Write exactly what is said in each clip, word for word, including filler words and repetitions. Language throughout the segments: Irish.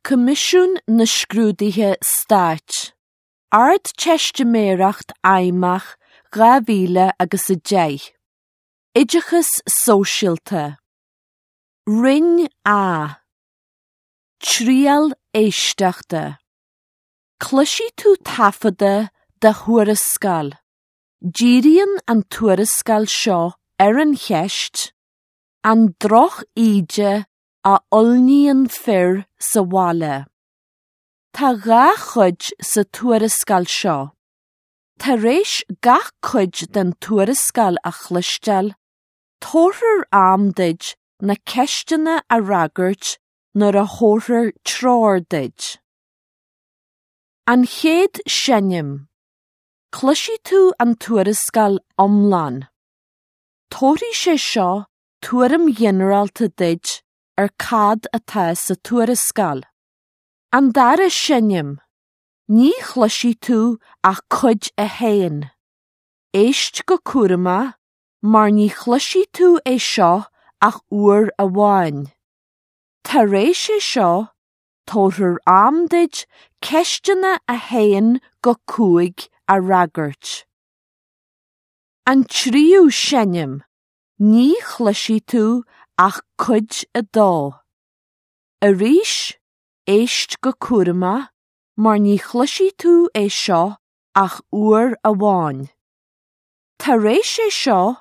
Coimisiún na Scrúduithe Stáit. Ardteistiméireacht Fheidhmeach dhá mhíle agus a deich. Oideachas Sóisialta. Roinn A. Triail éisteachta. Cloisfidh tú taifeadadh de thuarascáil. Díríonn an tuarascáil seo ar an cheist, an droch-íde a fhulaingíonn fir sa bhaile. Tá dhá chuid sa tuarascáil seo. Tar éis gach cuid den tuarascáil a chloisteáil, tabharfar am duit na ceisteanna a fhreagairt nuair a thabharfar treoir duit. An chéad seinm. Cloisfidh tú an tuarascáil iomlán. Tabharfaidh sé seo tuairim ghinearálta duit ar cad atá sa tuarascáil. An dara seinm. Ní chloisfidh tú ach cuid a haon. Éist go cúramach, mar ní chloisfidh tú é seo ach uair amháin. Tar éis é seo, tabharfar am duit ceisteanna a haon go cúig a fhreagairt. An tríú seinm. Ní chloisfidh tú ach cuid a dó. Arís, éist go cúramach, mar ní chloisfidh tú é seo ach uair amháin. Tar éis é seo,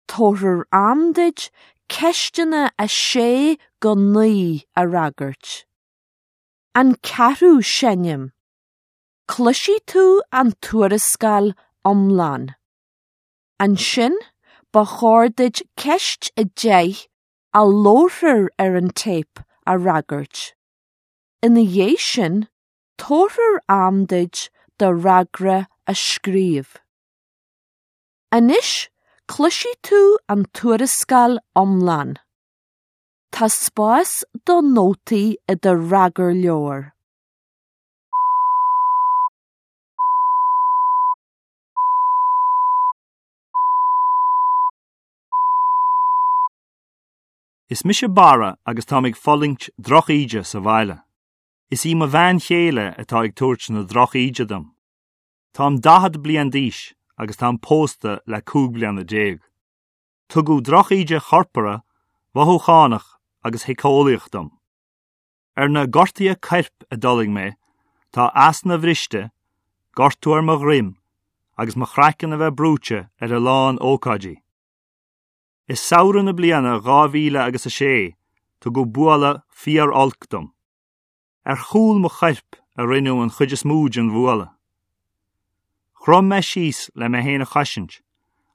tabharfar am duit ceisteanna a sé go naoi a fhreagairt. An ceathrú seinm. Cloisfidh tú an tuarascáil iomlán. Ansin, ba chóir duit ceist a deich a labharfar ar an téip a fhreagairt. Ina dhiaidh sin, tabharfar am duit do fhreagra a scríobh. Anois, cloisfidh tú an tuarascáil iomlán. Tá spás do nótaí i do fhreagarleabhar. Is mise Barra agus táim ag fulaingt drochíde sa bhaile. Is í mo bhean chéile atá ag tabhairt na drochíde dom. Táim daichead bliain d'aois agus táim pósta le cúig bliana déag. Tugadh drochíde chorpartha, mhothúchánach agus shíceolaíoch dom. Ar na gortuithe coirp a d'fhulaing mé, tá easna bhriste, gortú ar mo dhroim agus mo chraiceann a bheith brúite ar a lán ócáidí. I samhradh na bliana dhá mhíle agus a sé, tugadh bualadh fíor-olc dom. Ar chúl mo choirp a rinneadh an chuid is mó den bhualadh. Chrom mé síos le mé féin a chosaint,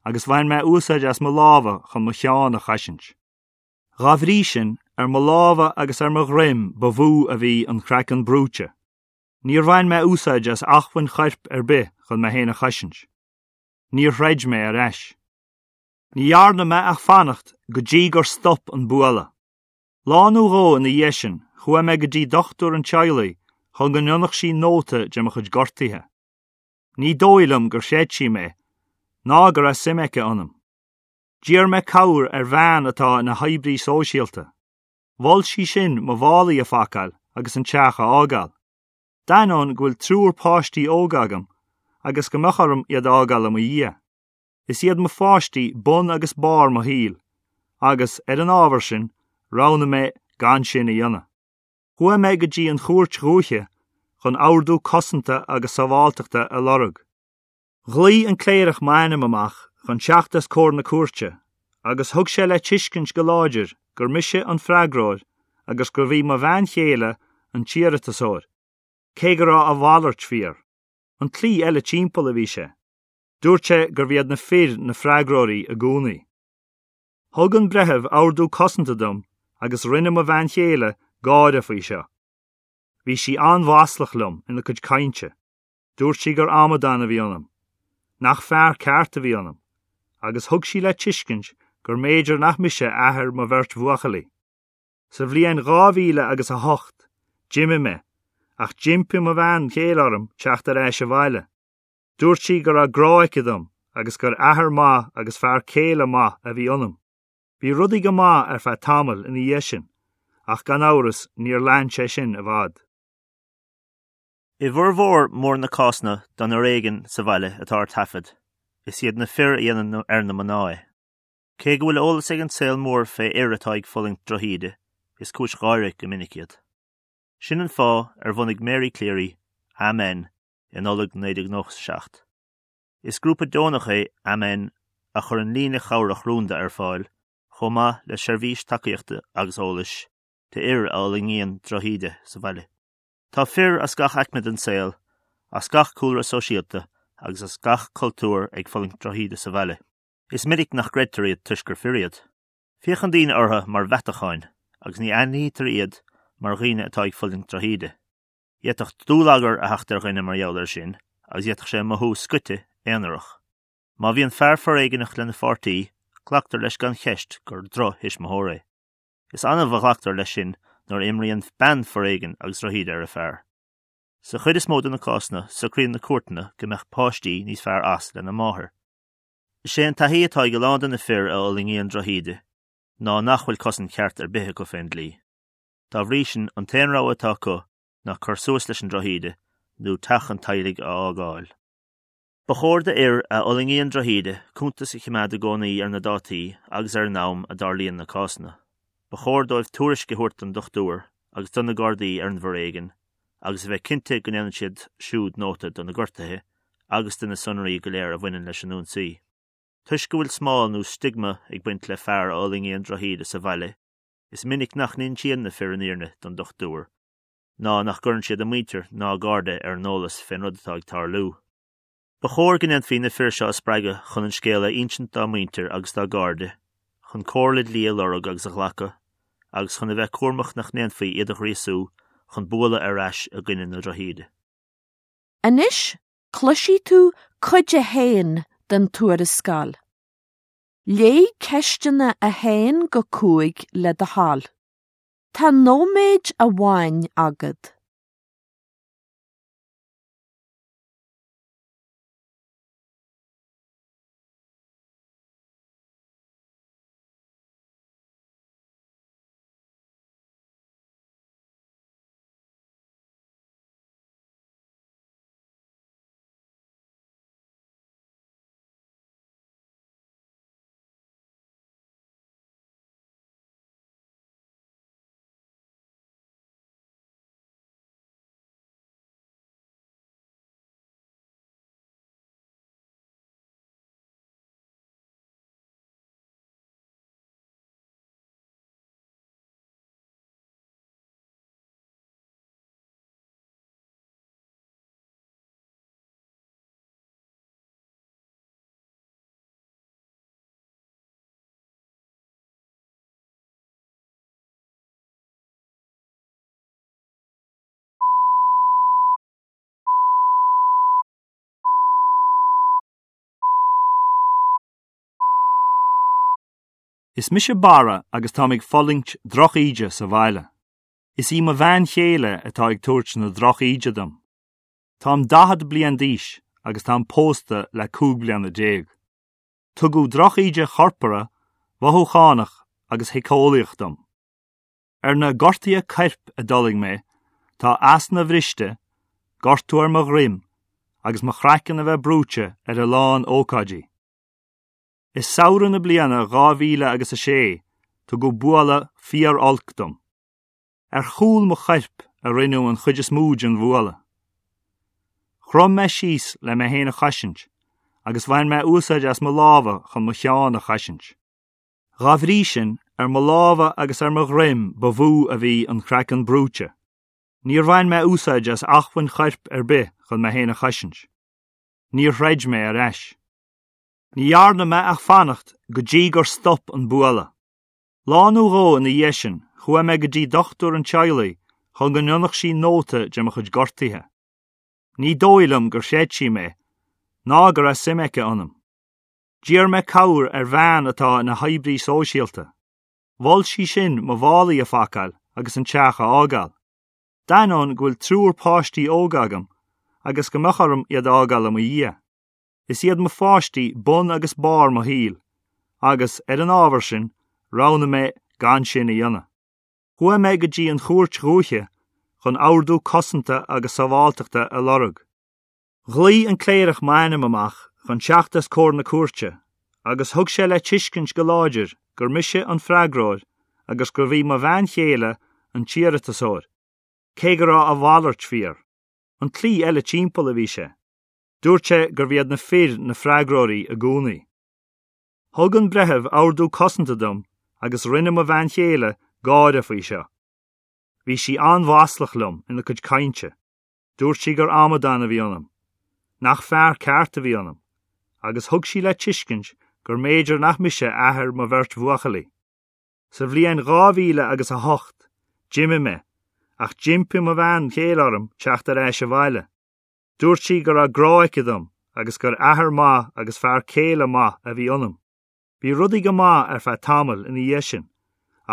agus bhain mé úsáid as mo lámha chun mo cheann a chosaint. Dá bhrí sin, ar mo lámha agus ar mo dhroim ba mhó a bhí an craiceann brúite. Níor bhain mé úsáid as acmhainn choirp ar bith chun mé féin a chosaint. Níor throid mé ar ais. Ní dhearna mé ach fanacht go dtí gur stop an bualadh. Lá nó dhó ina dhiaidh sin, chuaigh mé go dtí dochtúir an teaghlaigh chun go ndéanfadh sí nóta de mo chuid gortuithe. Ní dóigh liom gur chreid sí mé, ná go raibh suim aici ionam. D'iarr mé cabhair ar bhean atá ina hoibrí sóisialta. Mhol sí sin mo mhálaí a phacáil agus an teach a fhágáil. D'ainneoin go bhfuil triúr páistí óga agam agus go mbeadh orm iad a fhágáil i mo dhiaidh. Is iad mo pháistí bun agus barr mo shaoil, agus ar an ábhar sin, roghnaigh mé gan sin a dhéanamh. Chuaigh mé go dtí an chúirt dhúiche chun ordú cosanta agus sábháilteachta a lorg. Ghlaoigh an cléireach m'ainm amach chun teacht os comhair na cúirte, agus thug sé le tuiscint go láidir gur mise an freagróir agus gurbh í mo bhean chéile an t-iarratasóir, cé go raibh a mhalairt fíor. An tslí eile timpeall a bhí sé. Dúirt sé gurbh iad na fir na freagróirí i gcónaí. Thug an breitheamh ordú cosanta dom agus rinne mo bhean chéile gáire faoi seo. Bhí sí an-mhaslach liom ina cuid cainte. Dúirt sí gur amadán a bhí ionam, nach fear ceart a bhí ionam, agus thug sí le tuiscint gur mb'fhéidir nach mise athair mo bheirt bhuachaillí. Sa bhliain dhá mhíle agus a hocht, d'imigh mé, ach d'impigh mo bhean chéile orm teacht ar ais abhaile. Dúirt sí go raibh grá aici dom agus gur athair maith agus fear céile maith a bhí ionam. Bhí rudaí go maith ar feadh tamaill ina dhiaidh sin, Ach gan amhras níor lean sé sin i bhfad. I bhformhór mór na cásanna den fhoréigean sa bhaile atá ar taifead, is iad na fir a dhéanann ar na mná é. Cé go bhfuil eolas ag an saol mór fé fhir atá ag fulaingt drochíde, is cúis gháire go minic iad. Sin an fáth ar bhunaigh Mary Cleary, Amen, i Nollaig naoi déag nócha seacht. Is grúpa deonach é Amen a chuireann líne chabhrach rúnda ar fáil, chomh maith le seirbhís tacaíochta agus eolais d'fhir a fhulaingíonn drochíde sa bhaile. Tá fir as gach aicme den saol, as gach cúlra sóisialta agus as gach cultúr ag fulaingt drochíde sa bhaile. Is minic nach gcreidtear iad toisc gur fir iad. Féachann daoine orthu mar mheatacháin agus ní aithnítear iad mar dhaoine atá ag fulaingt drochíde. D'fhéadfadh dúlagar a theacht ar dhuine mar gheall air sin agus d'fhéadfadh sé mothú scoite aonarach. Má bhíonn fear foréigneach lena pháirtí, glactar leis gan cheist gur drochthuismitheoir é. Is annamh a ghlactar leis sin nuair a imríonn bean foréigean agus drochíde ar a fear. Sa chuid is mó de na cásanna, socraíonn na cúirteanna go mbeadh páistí níos fearr as lena máthair. Is é an taithí atá ag a lán de na fir a fhulaingíonn drochíde ná nach bhfuil cosaint cheart ar bith acu fén dlí. Dá bhrí sin, an t-aon rogha atá acu ná cur suas leis an drochíde nó teach an teaghlaigh a fhágáil. Ba chóir d'fhir a fhulaingíonn drochíde cuntas a choimeád i gcónaí ar na dátaí agus ar an am a dtarlaíonn na cásanna. Ba chóir dóibh tuairisc a thabhairt don dochtúir agus do na Gardaí ar an bhforéigean, agus a bheith cinnte go ndéanann siad siúd nóta de na gortuithe agus de na sonraí go léir a bhaineann leis an ionsaí. Toisc go bhfuil smál nó stigma ag baint le fear a fhulaingíonn drochíde sa bhaile, is minic nach n-insíonn na fir an fhírinne don dochtúir, ná nach gcuireann siad a muintir ná a gcairde ar an eolas fén rud atá ag tarlú. Ba chóir go ndéanfaí na fir seo a spreagadh chun an scéal a insint dá muintir agus dá gcairde, chun comhairle dlí a lorg agus a ghlacadh, agus chun a bheith cúramach nach ndéanfaí iad a ghríosú chun bualadh ar ais i gcoinne na drochíde. Anois, cloisfidh tú cuid a haon den tuarascáil. Léigh ceisteanna a haon go cúig le do thoil. Tá nóiméad amháin agat. Is mise Barra agus táim ag fulaingt drochíde sa bhaile. Is í mo bhean chéile atá ag tabhairt na drochíde dom. Táim daichead bliain d'aois agus táim pósta le cúig bliana déag. Tugadh drochíde chorpartha, mhothúchánach agus shíceolaíoch dom. Ar na gortuithe coirp a d'fhulaing mé, tá easna bhriste, gortú ar mo dhroim agus mo chraiceann a bheith brúite ar a lán ócáidí. I samhradh na bliana dhá mhíle agus a sé, tugadh bualadh fíor-olc dom. Ar chúl mo choirp a rinneadh an chuid is mó den bhualadh. Chrom mé síos le mé féin a chosaint, agus bhain mé úsáid as mo lámha chun mo cheann a chosaint. Dá bhrí sin, ar mo lámha agus ar mo dhroim ba mhó a bhí an craiceann brúite. Níor bhain mé úsáid as acmhainn choirp ar bith chun mé féin a chosaint. Níor throid mé ar ais. Ní dhearna mé ach fanacht go dtí gur stop an bualadh. Lá nó dhó ina dhiaidh sin, chuaigh mé go dtí dochtúir an teaghlaigh chun go ndéanfadh sí nóta de mo chuid gortuithe. Ní dóigh liom gur chreid sí mé, ná go raibh suim aici ionam. D'iarr mé cabhair ar bhean atá ina hoibrí sóisialta. Mhol sí sin mo mhálaí a phacáil agus an teach a fhágáil. D'ainneoin go bhfuil triúr páistí óga agam agus go mbeadh orm iad a fhágáil i mo dhiaidh. Is iad mo pháistí bun agus barr mo shaoil, agus ar an ábhar sin, roghnaigh mé gan sin a dhéanamh. Chuaigh mé go dtí an chúirt dhúiche chun ordú cosanta agus sábháilteachta a lorg. Ghlaoigh an cléireach m'ainm amach chun teacht os comhair na cúirte, agus thug sé le tuiscint go láidir gur mise an freagróir agus gurbh í mo bhean chéile an t-iarratasóir, cé go raibh a mhalairt fíor. An tslí eile timpeall a bhí sé. Dúirt sé gurbh iad na fir na freagróirí i gcónaí. Thug an breitheamh ordú cosanta dom agus rinne mo bhean chéile gáire faoi seo. Bhí sí an-mhaslach liom ina cuid cainte. Dúirt sí gur amadán a bhí ionam. Nach fear ceart a bhí ionam, agus thug sí le tuiscint gur mb'fhéidir nach mise athair mo bheirt bhuachaillí. Sa bhliain dhá mhíle agus a hocht, d'imigh mé, ach d'impigh mo bhean chéile orm teacht ar ais abhaile. Dúirt sí go raibh grá aici dom agus gur athair maith agus fear céile maith a bhí ionam. Bhí rudaí go maith ar feadh tamaill ina dhiaidh sin,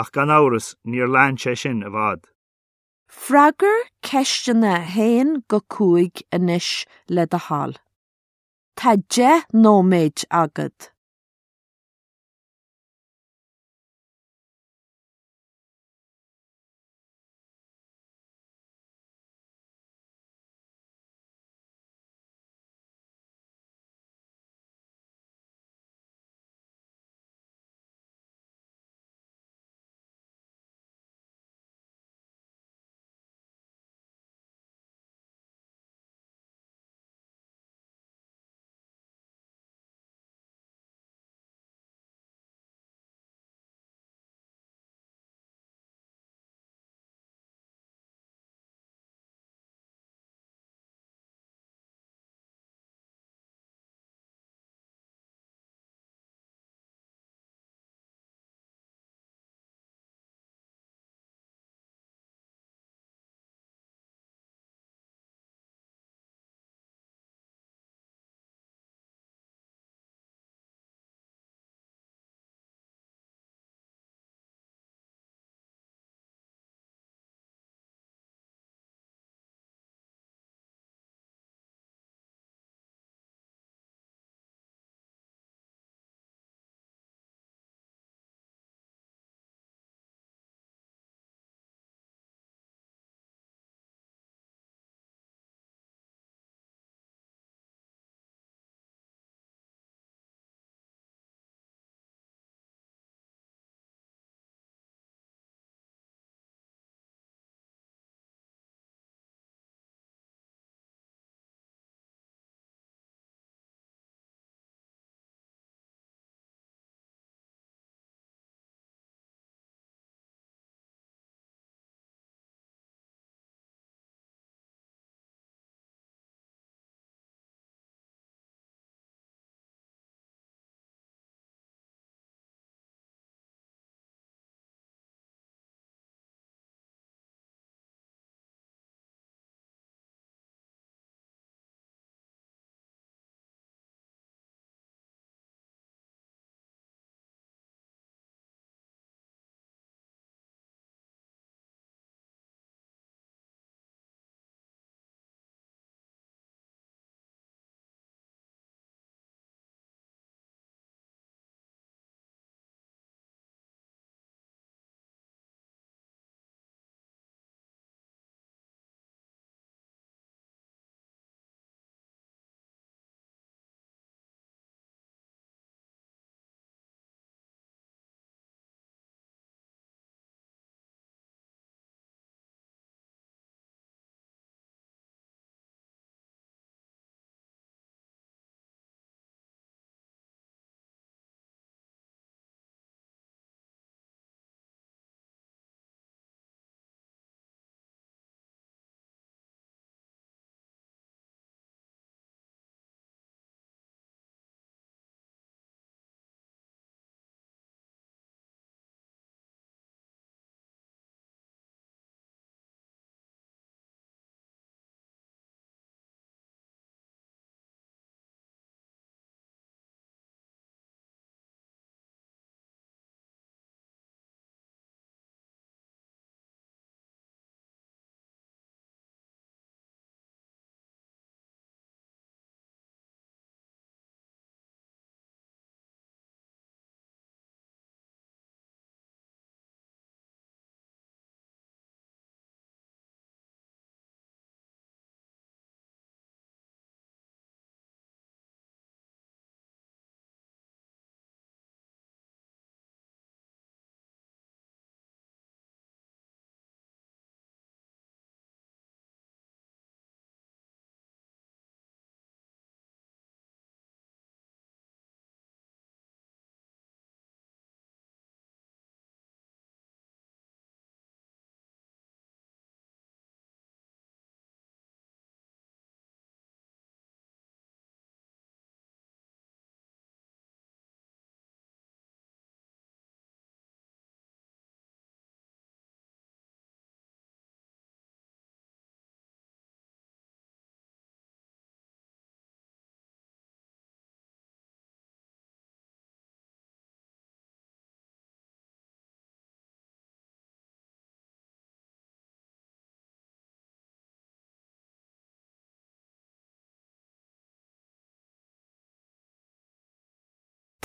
ach gan amhras níor lean sé sin i bhfad. Freagair ceisteanna a haon go cúig anois le do thoil. Tá deich nóiméad agat.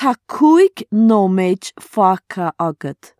Tá cúig nóiméad fágtha agat.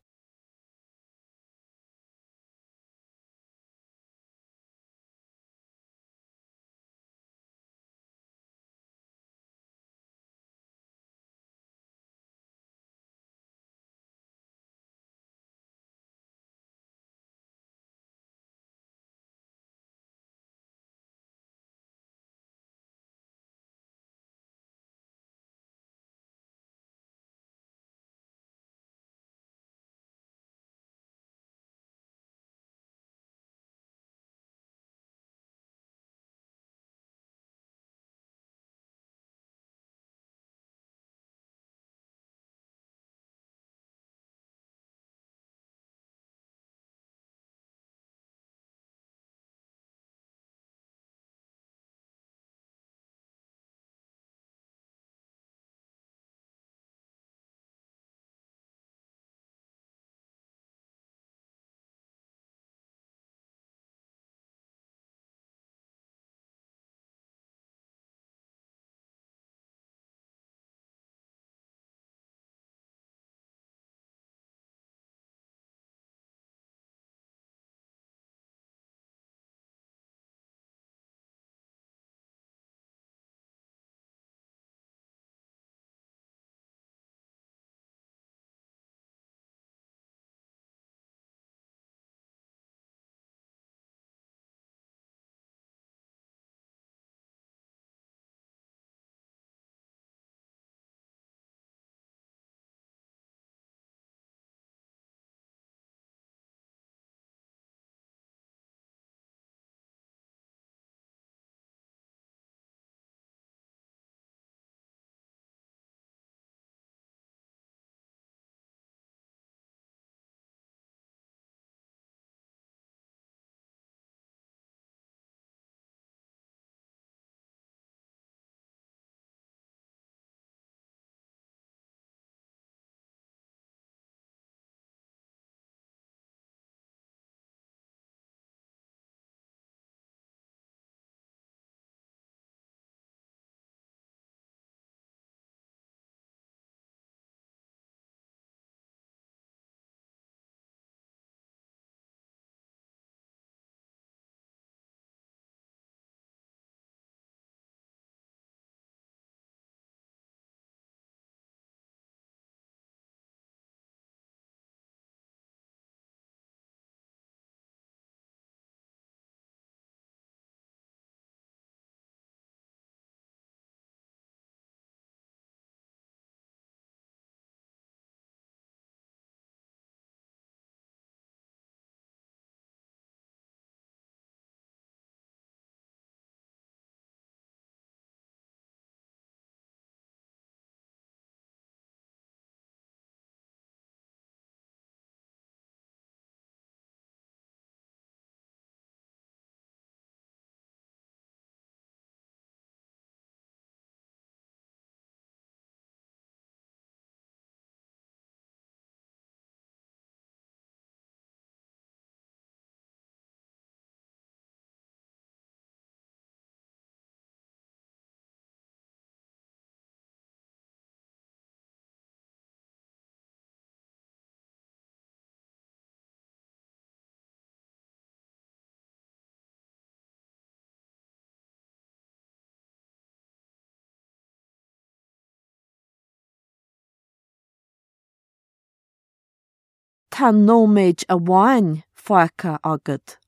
Tá nóiméad amháin fágtha agat.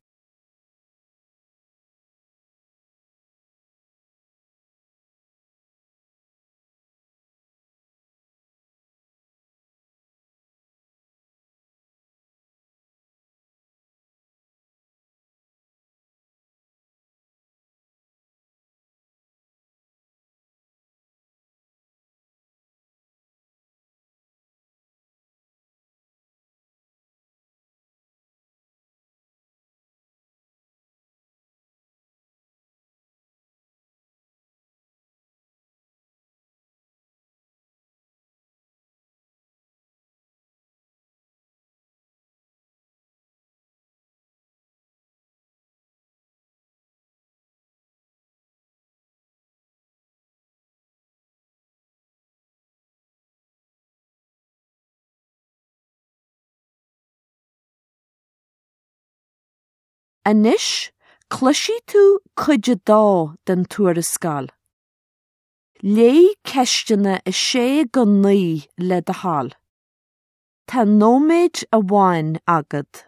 Anois, cloisfidh tú cuid a dó den tuarascáil. Léigh ceisteanna a sé go naoi le do thoil. Tá nóiméad amháin agat.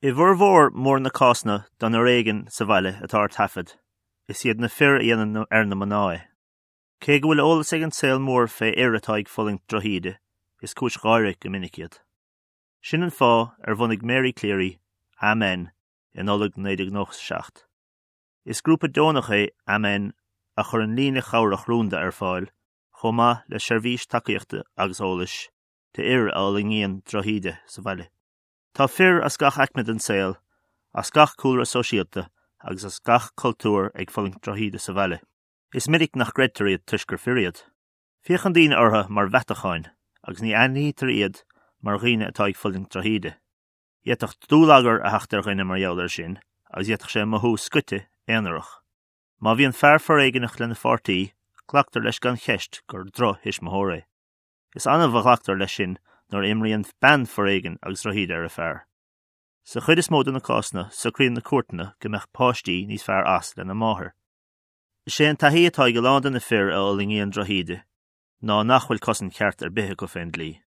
I bhformhór mór na cásanna den fhoréigean sa bhaile atá ar taifead, is iad na fir a dhéanann ar na mná é. Cé go bhfuil eolas ag an saol mór fé fhir atá ag fulaingt drochíde, is cúis gháire go minic iad. Sin an fáth ar bhunaigh Mary Cleary, Amen, i Nollaig naoi déag nócha seacht. Is grúpa deonach é Amen a chuireann líne chabhrach rúnda ar fáil, chomh maith le seirbhís tacaíochta agus eolais d'fhir a fhulaingíonn drochíde sa bhaile. Tá fir as gach aicme den saol, as gach cúlra sóisialta agus as gach cultúr ag fulaingt drochíde sa bhaile. Is minic nach gcreidtear iad toisc gur fir iad. Féachann daoine orthu mar mheatacháin agus ní aithnítear iad mar dhaoine atá ag fulaingt drochíde. D'fhéadfadh dúlagar a theacht ar dhuine mar gheall air sin agus d'fhéadfadh sé mothú scoite aonarach. Má bhíonn fear foréigneach lena pháirtí, glactar leis gan cheist gur drochthuismitheoir é. Is annamh a ghlactar leis sin nuair a imríonn bean foréigean agus drochíde ar a fear. Sa chuid is mó de na cásanna, socraíonn na cúirteanna go mbeadh páistí níos fearr as lena máthair. Is é an taithí atá ag a lán de na fir a fhulaingíonn drochíde ná nach bhfuil cosaint cheart ar bith acu fén dlí.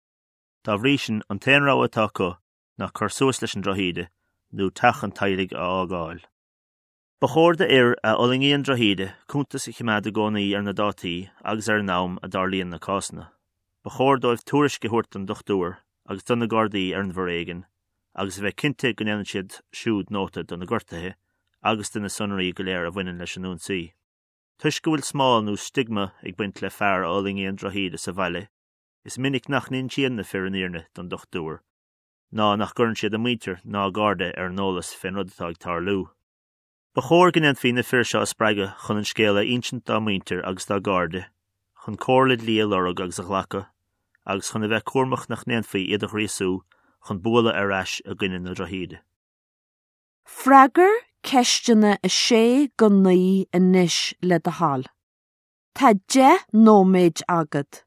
Dá bhrí sin, an t-aon rogha atá acu ná cur suas leis an drochíde nó teach an teaghlaigh a fhágáil. Ba chóir d'fhir a fhulaingíonn drochíde cuntas a choimeád i gcónaí ar na dátaí agus ar an am a dtarlaíonn na cásanna. Ba chóir dóibh tuairisc a thabhairt don dochtúir agus do na Gardaí ar an bhforéigean, agus a bheith cinnte go ndéanann siad siúd nóta de na gortuithe agus de na sonraí go léir a bhaineann leis an ionsaí. Toisc go bhfuil smál nó stigma ag baint le fear a fhulaingíonn drochíde sa bhaile, is minic nach n-insíonn na fir an fhírinne don dochtúir, ná nach gcuireann siad a muintir ná a gcairde ar an eolas fén rud atá ag tarlú. Ba chóir go ndéanfaí na fir seo a spreagadh chun an scéal a insint dá muintir agus dá gcairde, chun comhairle dlí a lorg agus a ghlacadh, agus chun a bheith cúramach nach ndéanfaí iad a ghríosú chun bualadh ar ais i gcoinne na drochíde. Freagair ceisteanna a sé go naoi anois le do thoil. Tá deich nóiméad agat.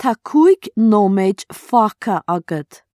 Tá cúig nóiméad fágtha agat.